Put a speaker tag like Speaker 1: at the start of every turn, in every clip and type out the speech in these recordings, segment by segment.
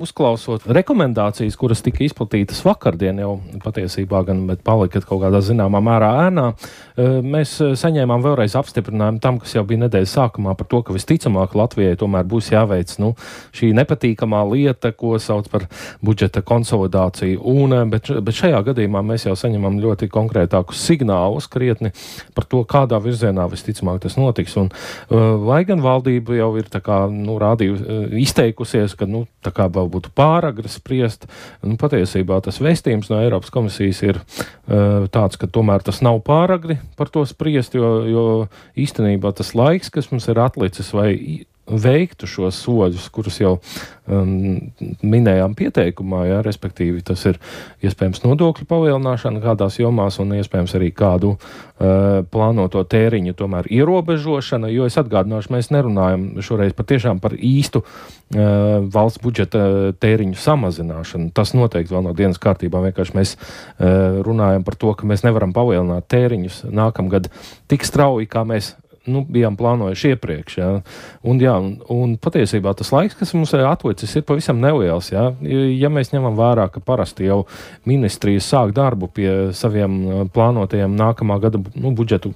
Speaker 1: uzklausot rekomendācijas, kuras tika izplatītas vakardien jau patiesībā gan, bet palika kaut kādā zināmā mērā ēnā, mēs saņēmām vēlreiz apstiprinājumu tam, kas jau bija nedēļas sākumā par to, ka visticamāk Latvijai tomēr būs jāveic šī nepatīkamā lieta, ko sauc par budžeta konsolidāciju. Bet šajā gadījumā mēs jau saņemam ļoti konkrētākus signālus krietni par to, kādā virzienā visticamāk tas notiks. Un, lai gan valdība jau ir tā kā, izteikusies, ka tā kā vēl būtu pāragri spriest, patiesībā tas vēstījums no Eiropas komisijas ir tāds, ka tomēr tas nav pāragri par to spriest, jo īstenībā tas laiks, kas mums ir atlicis, vai veiktu šos soļus, kurus jau minējām pieteikumā, respektīvi tas ir iespējams nodokļu palielināšana kādās jomās un iespējams arī kādu plānoto tēriņu tomēr ierobežošana, jo es atgādināšu, mēs nerunājam šoreiz patiešām par īstu valsts budžeta tēriņu samazināšanu. Tas noteikti vēl no dienas kārtībā, vienkārši mēs runājam par to, ka mēs nevaram palielināt tēriņus nākamgad tik strauji, kā mēs bijām plānojuši iepriekš. Un patiesībā tas laiks, kas mums ir atlicis, ir pavisam neliels. Ja mēs ņemam vērā, ka parasti jau ministrijas sāk darbu pie saviem plānotajiem nākamā gada budžetu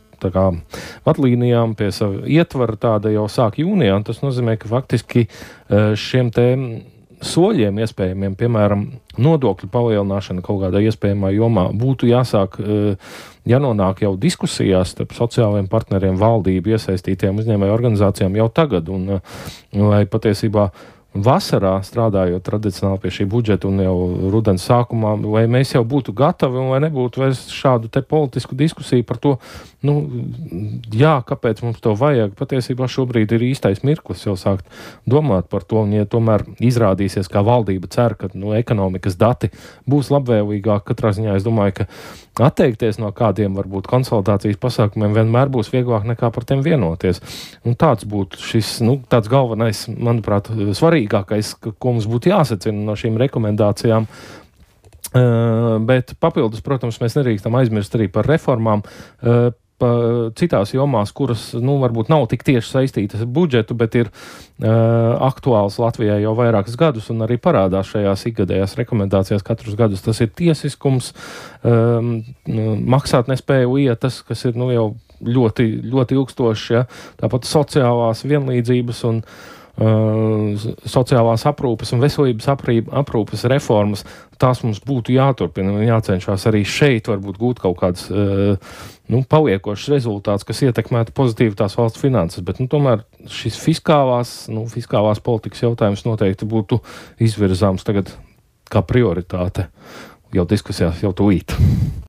Speaker 1: vadlīnijām, pie sava ietvara tāda jau sāk jūnijā, un tas nozīmē, ka faktiski šiem te soļiem iespējamiem, piemēram, nodokļu palielināšana kaut kādā iespējamā jomā būtu jāsāk, jānonāk jau diskusijās starp sociālajiem partneriem, valdību, iesaistītiem uzņēmēju organizācijām jau tagad, un lai patiesībā vasarā strādājot tradicionāli pie šī budžeta un jau rudens sākumā, vai mēs jau būtu gatavi un vai nebūtu vairs šādu te politisku diskusiju par to, kāpēc mums to vajag. Patiesībā šobrīd ir īstais mirklis jau sākt domāt par to, un ja tomēr izrādīsies, kā valdība cer, ka ekonomikas dati būs labvēlīgāk, katrā ziņā es domāju, ka atteikties no kādiem varbūt konsolidācijas pasākumiem vienmēr būs vieglāk nekā par tiem vienoties. Un tāds būtu šis, tāds galvenais, manuprāt, svarīgākais, ko mums būtu jāsacina no šīm rekomendācijām. Bet papildus, protams, mēs nedrīkstam aizmirst arī par reformām, citās jomās, kuras, varbūt nav tik tieši saistītas ar budžetu, bet ir aktuāls Latvijai jau vairākus gadus un arī parādās šajās ikgadējās rekomendācijās katrus gadus. Tas ir tiesiskums, maksātnespēju lietas, kas ir jau ļoti, ļoti ilgstoši, tāpat sociālās vienlīdzības un sociālās aprūpes un veselības aprūpes reformas, tās mums būtu jāturpina un jācenšas arī šeit varbūt gūt kaut kāds paliekošs rezultāts, kas ietekmētu pozitīvi tās valsts finanses, bet tomēr šis fiskālās politikas jautājums noteikti būtu izvirzāms tagad kā prioritāte jau diskusijās jau tūlīt.